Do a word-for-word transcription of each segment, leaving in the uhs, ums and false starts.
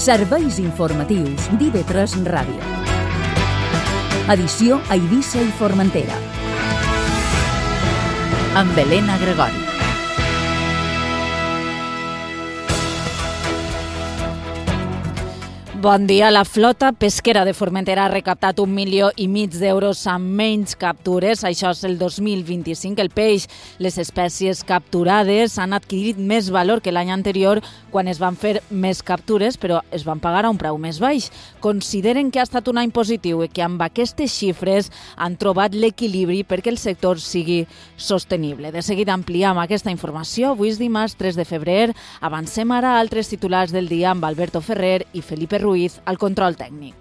Serveis informatius d'I V tres Ràdio. Edició a Eivissa i Formentera. Amb Helena Gregori. Bon dia. La flota pesquera de Formentera ha recaptat un milió i mig d'euros amb menys captures. Això és el dos mil vint-i-cinc. El peix, les espècies capturades han adquirit més valor que l'any anterior quan es van fer més captures, però es van pagar a un preu més baix. Consideren que ha estat un any positiu i que amb aquestes xifres han trobat l'equilibri perquè el sector sigui sostenible. De seguida ampliem aquesta informació. Avui és dimarts tres de febrer. Avancem ara a altres titulars del dia amb Alberto Ferrer i Felipe Ruiz al control tècnic.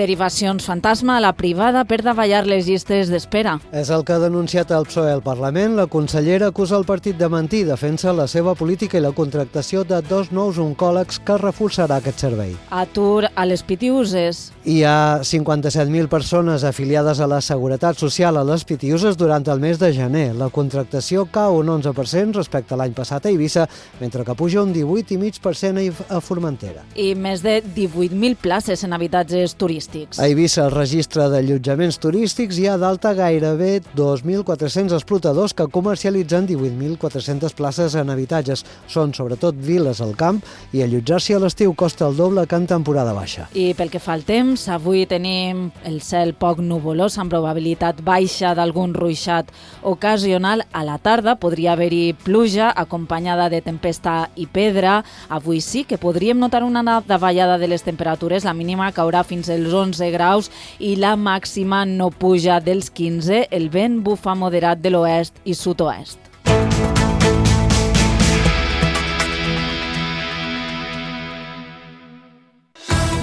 Derivacions fantasma a la privada per davallar les llistes d'espera. És el que ha denunciat el P S O E al Parlament. La consellera acusa el partit de mentir, defensa la seva política i la contractació de dos nous oncòlegs que reforçarà aquest servei. Atur a les Pitiuses. Hi ha cinquanta-set mil persones afiliades a la Seguretat Social a les Pitiuses durant el mes de gener. La contractació cau un onze per cent respecte a l'any passat a Eivissa, mentre que puja un divuit coma cinc per cent a Formentera. I més de divuit mil places en habitatges turístics. A Eivissa, el registre d'allotjaments turístics hi ha d'alta gairebé dos mil quatre-cents explotadors que comercialitzen divuit mil quatre-centes places en habitatges. Són sobretot viles al camp i allotjar-s'hi a l'estiu costa el doble que en temporada baixa. I pel que fa al temps, avui tenim el cel poc nuvolós amb probabilitat baixa d'algun ruixat ocasional. A la tarda podria haver-hi pluja acompanyada de tempesta i pedra. Avui sí que podríem notar una davallada de les temperatures. La mínima caurà fins als onze graus i la màxima no puja dels quinze. El vent bufa moderat de l'oest i sud-oest.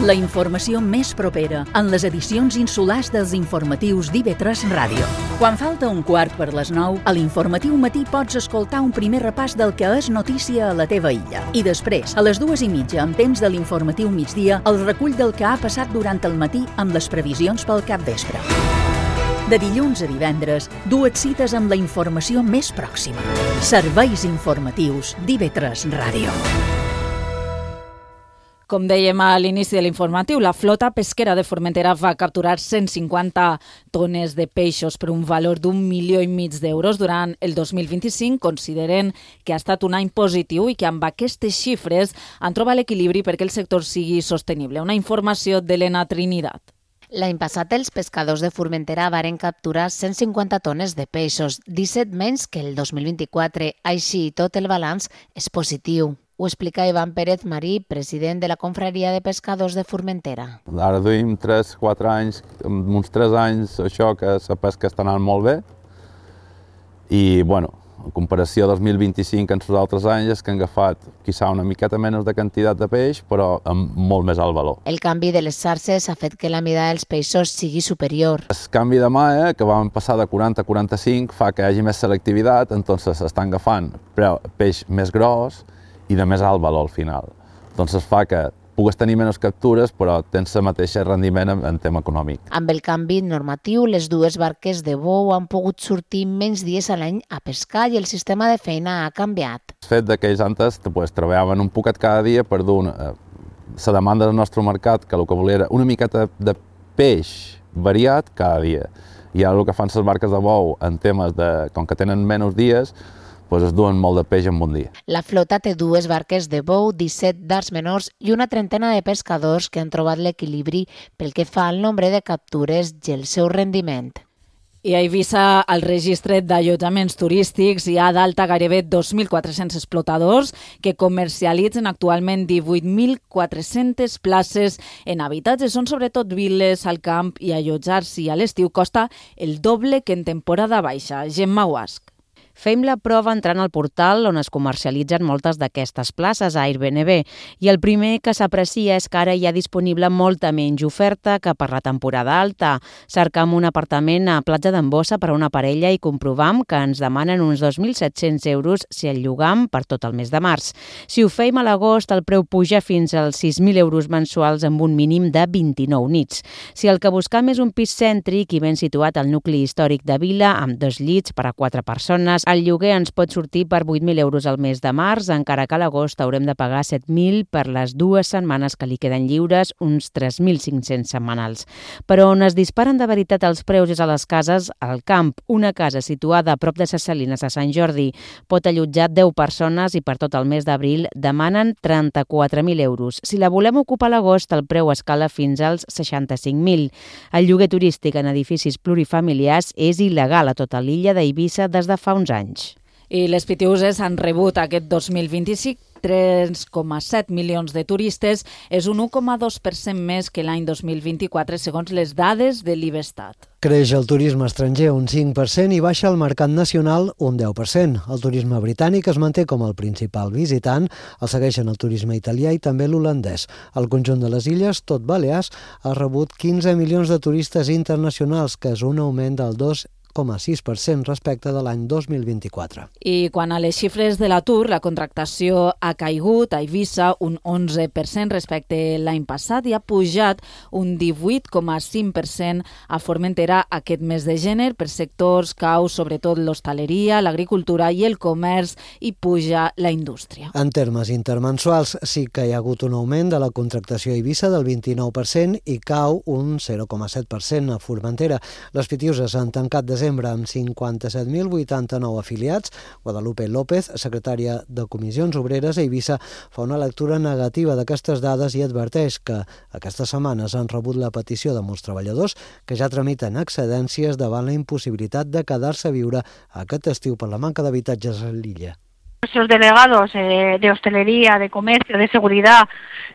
La informació més propera en les edicions insulars dels informatius d'I V tres Ràdio. Quan falta un quart per les nou, a l'informatiu matí pots escoltar un primer repàs del que és notícia a la teva illa. I després, a les dues i mitja, amb temps de l'informatiu migdia, el recull del que ha passat durant el matí amb les previsions pel capvespre. De dilluns a divendres, dues cites amb la informació més pròxima. Serveis informatius d'I V tres Ràdio. Com dèiem a l'inici de l'informatiu, la flota pesquera de Formentera va capturar cent cinquanta tones de peixos per un valor d'un milió i mig d'euros durant el dos mil vint-i-cinc. Consideren que ha estat un any positiu i que amb aquestes xifres han trobat l'equilibri perquè el sector sigui sostenible. Una informació d'Helena Trinidad. L'any passat els pescadors de Formentera varen capturar cent cinquanta tones de peixos, disset menys que el dos mil vint-i-quatre. Així i tot el balanç és positiu. Ho explica Ivan Pérez Marí, president de la Confraria de Pescadors de Formentera. Ara duim tres quatre anys, uns tres anys, això que la pesca està anant molt bé. I, bueno, en comparació del dos mil vint-i-cinc amb els altres anys és que han agafat, quizà, una miqueta menys de quantitat de peix, però amb molt més alt valor. El canvi de les xarxes ha fet que la mida dels peixos sigui superior. El canvi de mà, eh, que vam passar de quaranta a quaranta-cinc, fa que hi hagi més selectivitat, entonces estan agafant peix més gros i de més alt valor al final. Doncs fa que pugues tenir menys captures, però tens el mateix rendiment en, en tema econòmic. Amb el canvi normatiu, les dues barques de bou han pogut sortir menys dies a l'any a pescar i el sistema de feina ha canviat. El fet que ells antes pues, treballaven un poquet cada dia per dur una, la demanda del nostre mercat, que el que volia era una miqueta de peix variat cada dia. I ara el que fan les barques de bou en temes de, com que tenen menys dies, pues es duen molt de peix en un dia. La flota té dues barques de bou, disset d'arts menors i una trentena de pescadors que han trobat l'equilibri pel que fa al nombre de captures i el seu rendiment. I a Eivissa, al registre d'allotjaments turístics, hi ha d'alta gairebé dos mil quatre-cents explotadors que comercialitzen actualment divuit mil quatre-centes places en habitatges. Són sobretot viles al camp i allotjar-s'hi a l'estiu costa el doble que en temporada baixa. Gemma Guasc. Fem la prova entrant al portal on es comercialitzen moltes d'aquestes places a Airbnb i el primer que s'aprecia és que ara hi ha disponible molta menys oferta que per la temporada alta. Cercam un apartament a Platja d'Embossa per a una parella i comprovam que ens demanen uns dos mil set-cents euros si el llogam per tot el mes de març. Si ho fem a l'agost, el preu puja fins als sis mil euros mensuals amb un mínim de vint-i-nou nits. Si el que buscam és un pis cèntric i ben situat al nucli històric de Vila, amb dos llits per a quatre persones, El lloguer ens pot sortir per vuit mil euros al mes de març, encara que a l'agost haurem de pagar set mil per les dues setmanes que li queden lliures, uns tres mil cinc-cents setmanals. Però on es disparen de veritat els preus és a les cases al camp. Una casa situada a prop de Ses Salines a Sant Jordi pot allotjar deu persones i per tot el mes d'abril demanen trenta-quatre mil euros. Si la volem ocupar a l'agost, el preu escala fins als seixanta-cinc mil. El lloguer turístic en edificis plurifamiliars és il·legal a tota l'illa d'Eivissa des de fa uns anys. anys. I les Pitiüses han rebut aquest dos mil vint-i-cinc tres coma set milions de turistes, és un u coma dos per cent més que l'any dos mil vint-i-quatre, segons les dades de l'Ivestat. Creix el turisme estranger un cinc per cent i baixa el mercat nacional un deu per cent. El turisme britànic es manté com el principal visitant, el segueixen el turisme italià i també l'holandès. El conjunt de les illes, tot Balears, ha rebut quinze milions de turistes internacionals, que és un augment del dos coma sis per cent respecte de l'any dos mil vint-i-quatre. I quan a les xifres de l'atur, la contractació ha caigut a Eivissa un onze per cent respecte l'any passat i ha pujat un divuit coma cinc per cent a Formentera aquest mes de gener per sectors cau sobretot l'hostaleria, l'agricultura i el comerç i puja la indústria. En termes intermensuals sí que hi ha hagut un augment de la contractació a Eivissa del vint-i-nou per cent i cau un zero coma set per cent a Formentera. Les Pitiüses han tancat desembre amb cinquanta-set mil vuitanta-nou afiliats. Guadalupe López, secretària de Comissions Obreres a Eivissa, fa una lectura negativa d'aquestes dades i adverteix que aquestes setmanes han rebut la petició de molts treballadors que ja tramiten excedències davant la impossibilitat de quedar-se a viure aquest estiu per la manca d'habitatges a l'illa. Nuestros delegados eh, de hostelería, de comercio, de seguridad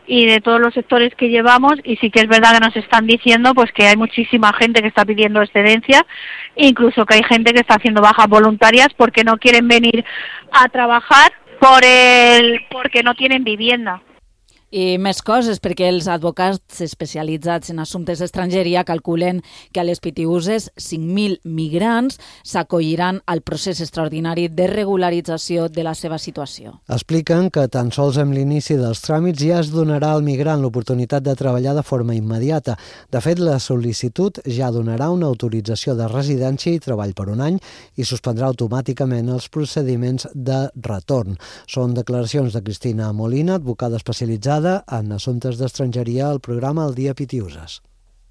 y de todos los sectores que llevamos, y sí que es verdad que nos están diciendo pues que hay muchísima gente que está pidiendo excedencia, incluso que hay gente que está haciendo bajas voluntarias porque no quieren venir a trabajar por el porque no tienen vivienda. I més coses, perquè els advocats especialitzats en assumptes d'estrangeria calculen que a les Pitiüses cinc mil migrants s'acolliran al procés extraordinari de regularització de la seva situació. Expliquen que tan sols amb l'inici dels tràmits ja es donarà al migrant l'oportunitat de treballar de forma immediata. De fet, la sol·licitud ja donarà una autorització de residència i treball per un any i suspendrà automàticament els procediments de retorn. Són declaracions de Cristina Molina, advocada especialitzada en asuntos de extranjería al programa El Día Pitiüses.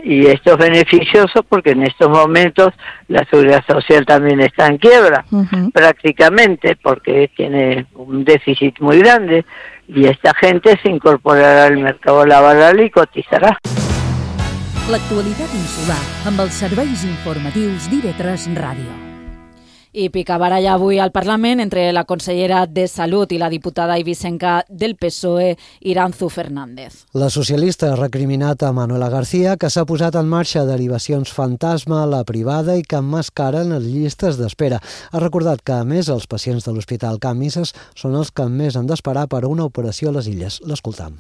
Y esto es beneficioso porque en estos momentos la seguridad social también está en quiebra, uh-huh. prácticamente, porque tiene un déficit muy grande y esta gente se incorporará al mercado laboral y cotizará. L'actualitat insular amb els serveis informatius d'I V tres Ràdio. I picabaralla avui al Parlament entre la consellera de Salut i la diputada eivissenca del P S O E, Iranzu Fernández. La socialista ha recriminat a Manuela García que s'ha posat en marxa derivacions fantasma a la privada i que emmascaren les llistes d'espera. Ha recordat que, a més, els pacients de l'Hospital Can Misses són els que més han d'esperar per a una operació a les Illes. L'escoltam.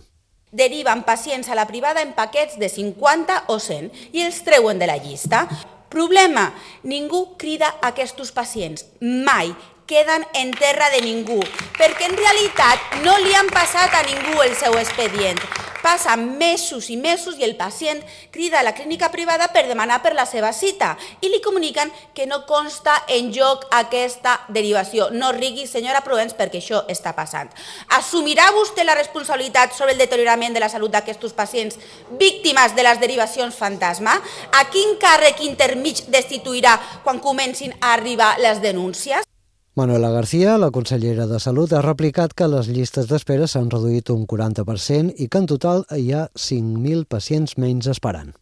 Deriven pacients a la privada en paquets de cinquanta o cent i els treuen de la llista. Problema, ningú crida aquests pacients, mai queden en terra de ningú, perquè en realitat no li han passat a ningú el seu expedient. Passen mesos i mesos i el pacient crida a la clínica privada per demanar per la seva cita i li comuniquen que no consta en joc aquesta derivació. No rigui, senyora Provenç, perquè això està passant. Assumirà vostè la responsabilitat sobre el deteriorament de la salut d'aquests pacients víctimes de les derivacions fantasma? A quin càrrec intermig destituirà quan comencin a arribar les denúncies? Manuela García, la consellera de Salut, ha replicat que les llistes d'espera s'han reduït un quaranta per cent i que en total hi ha cinc mil pacients menys esperant.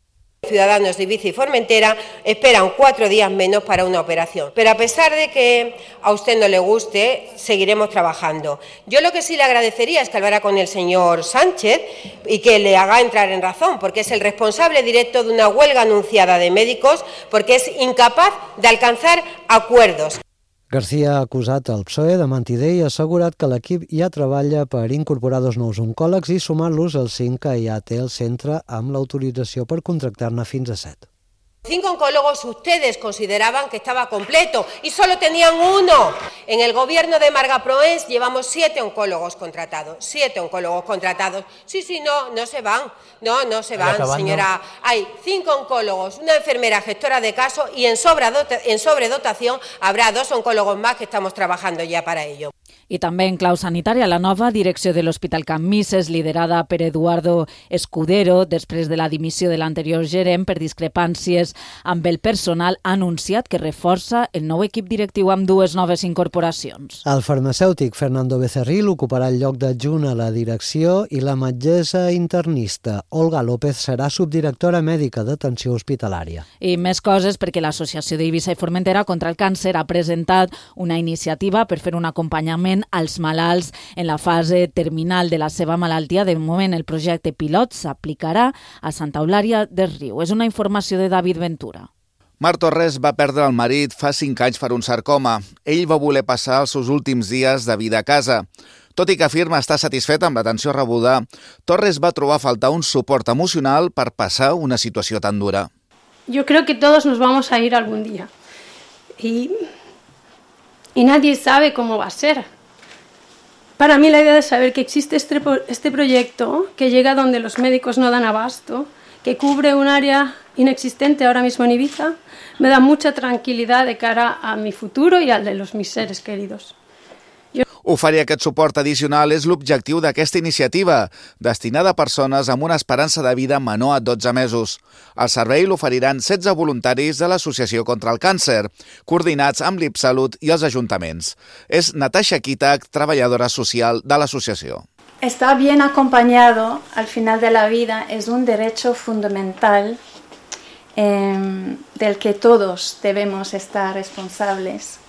Ciudadanos de Ibiza y Formentera esperan cuatro días menos para una operación. Pero a pesar de que a usted no le guste, seguiremos trabajando. Yo lo que sí le agradecería es que hablara con el señor Sánchez y que le haga entrar en razón, porque es el responsable directo de una huelga anunciada de médicos, porque es incapaz de alcanzar acuerdos. García ha acusat el P S O E de mentider i ha assegurat que l'equip ja treballa per incorporar dos nous oncòlegs i sumar-los als cinc que ja té el centre amb l'autorització per contractar-ne fins a set. Cinco oncólogos ustedes consideraban que estaba completo y solo tenían uno. En el gobierno de Marga Proens llevamos siete oncólogos contratados, siete oncólogos contratados. Sí, sí, no, no se van, no, no se van, señora. Hay cinco oncólogos, una enfermera gestora de casos y en, en sobredotación habrá dos oncólogos más que estamos trabajando ya para ello. I també en clau sanitària, la nova direcció de l'Hospital Can Misses, liderada per Eduardo Escudero, després de la dimissió de l'anterior gerent per discrepàncies amb el personal, ha anunciat que reforça el nou equip directiu amb dues noves incorporacions. El farmacèutic Fernando Becerril ocuparà el lloc d'adjunt a la direcció i la metgessa internista Olga López serà subdirectora mèdica d'atenció hospitalària. I més coses perquè l'Associació d'Eivissa i Formentera contra el Càncer ha presentat una iniciativa per fer un acompanyament als malalts en la fase terminal de la seva malaltia. De moment, el projecte pilot s'aplicarà a Santa Eulària del Riu. És una informació de David Ventura. Mar Torres va perdre el marit fa cinc anys per un sarcoma. Ell va voler passar els seus últims dies de vida a casa. Tot i que afirma estar satisfet amb l'atenció rebuda, Torres va trobar a faltar un suport emocional per passar una situació tan dura. Yo creo que todos nos vamos a ir algún día y, y nadie sabe cómo va a ser. Para mí la idea de saber que existe este, este proyecto que llega donde los médicos no dan abasto, que cubre un área inexistente ahora mismo en Ibiza, me da mucha tranquilidad de cara a mi futuro y al de los mis seres queridos. Jo... Oferir aquest suport addicional és l'objectiu d'aquesta iniciativa, destinada a persones amb una esperança de vida menor a dotze mesos. El servei l'oferiran setze voluntaris de l'Associació contra el Càncer, coordinats amb l'IPSalut i els ajuntaments. És Natasha Kitak, treballadora social de l'associació. Estar bien acompañado al final de la vida es un derecho fundamental eh, del que todos debemos estar responsables.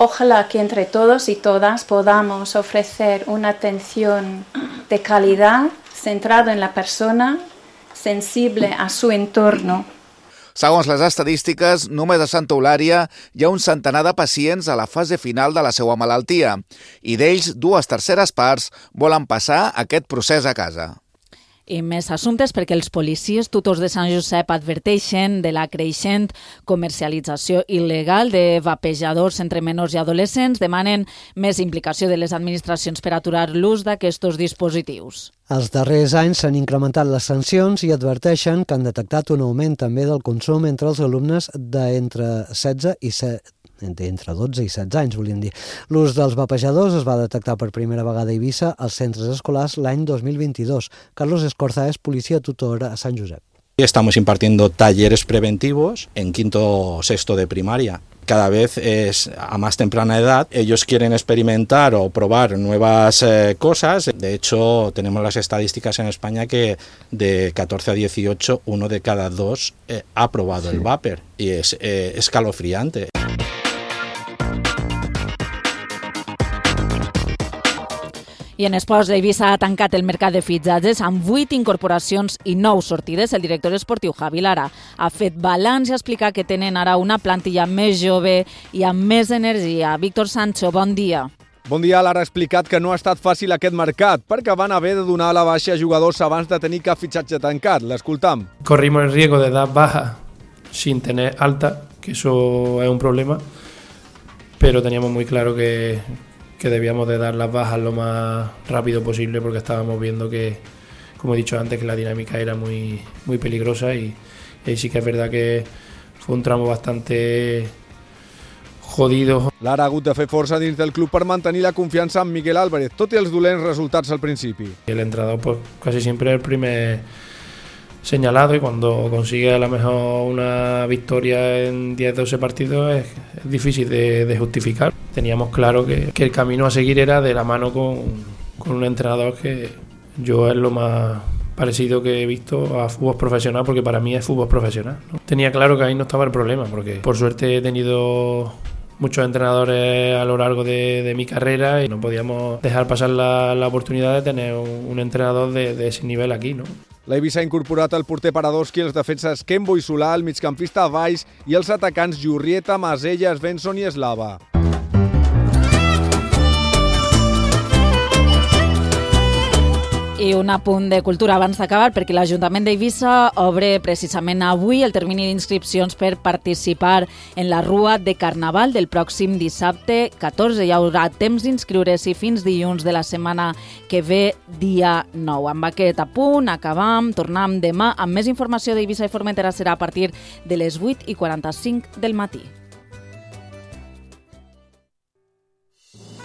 Ojalá que entre todos y todas podamos ofrecer una atención de calidad, centrado en la persona, sensible a su entorno. Segons les estadístiques, només a Santa Eulària hi ha un centenar de pacients a la fase final de la seva malaltia i d'ells dues terceres parts volen passar aquest procés a casa. I més assumptes perquè els policies tutors de Sant Josep adverteixen de la creixent comercialització il·legal de vapejadors entre menors i adolescents, demanen més implicació de les administracions per aturar l'ús d'aquests dispositius. Els darrers anys s'han incrementat les sancions i adverteixen que han detectat un augment també del consum entre els alumnes d'entre setze i set entre dotze i setze anys, volíem dir. L'ús dels vapejadors es va detectar per primera vegada a Eivissa als centres escolars l'any dos mil vint-i-dos. Carlos Escorza és policia tutor a Sant Josep. Estamos impartiendo talleres preventivos en quinto o sexto de primaria. Cada vez es a más temprana edad, ellos quieren experimentar o probar nuevas eh, cosas. De hecho, tenemos las estadísticas en España que de catorce a dieciocho, uno de cada dos eh, ha probado sí. el vapor y es eh, escalofriante. I en esports, l'Eivissa ha tancat el mercat de fitxatges amb vuit incorporacions i nou sortides. El director esportiu Javi Lara ha fet balanç i ha explicat que tenen ara una plantilla més jove i amb més energia. Víctor Sancho, bon dia. Bon dia. Lara ha explicat que no ha estat fàcil aquest mercat perquè van haver de donar a la baixa jugadors abans de tenir cap fitxatge tancat. L'escoltam. Corrimos el riesgo de dar baja sin tener alta, que eso es un problema, pero teníamos muy claro que... que debíamos de dar las bajas lo más rápido posible porque estábamos viendo que, como he dicho antes, que la dinámica era muy, muy peligrosa y, y sí que es verdad que fue un tramo bastante jodido. Lara ha hagut de fer força dins del club per mantenir la confiança en Miguel Álvarez, tot i els dolents resultats al principi. El entrenador pues casi siempre es el primer señalado y cuando consigue a lo mejor una victoria en diez doce partidos es, es difícil de, de justificar. Teníamos claro que, que el camino a seguir era de la mano con, con un entrenador que yo es lo más parecido que he visto a fútbol profesional, porque para mí es fútbol profesional, ¿no? Tenía claro que ahí no estaba el problema, porque por suerte he tenido muchos entrenadores a lo largo de, de mi carrera y no podíamos dejar pasar la, la oportunidad de tener un, un entrenador de, de ese nivel aquí, ¿no? L'Eivissa ha incorporat el porter Paradoski, els defenses Kembo i Solà, el migcampista Valls i els atacants Jurrieta, Masella, Svensson i Eslava. I un apunt de cultura abans d'acabar, perquè l'Ajuntament d'Eivissa obre precisament avui el termini d'inscripcions per participar en la Rua de Carnaval del pròxim dissabte catorze. Hi haurà temps d'inscriure-s'hi fins dilluns de la setmana que ve, dia nou. Amb aquest apunt acabam, tornem demà amb més informació d'Eivissa i Formentera. Serà a partir de les vuit i quaranta-cinc del matí.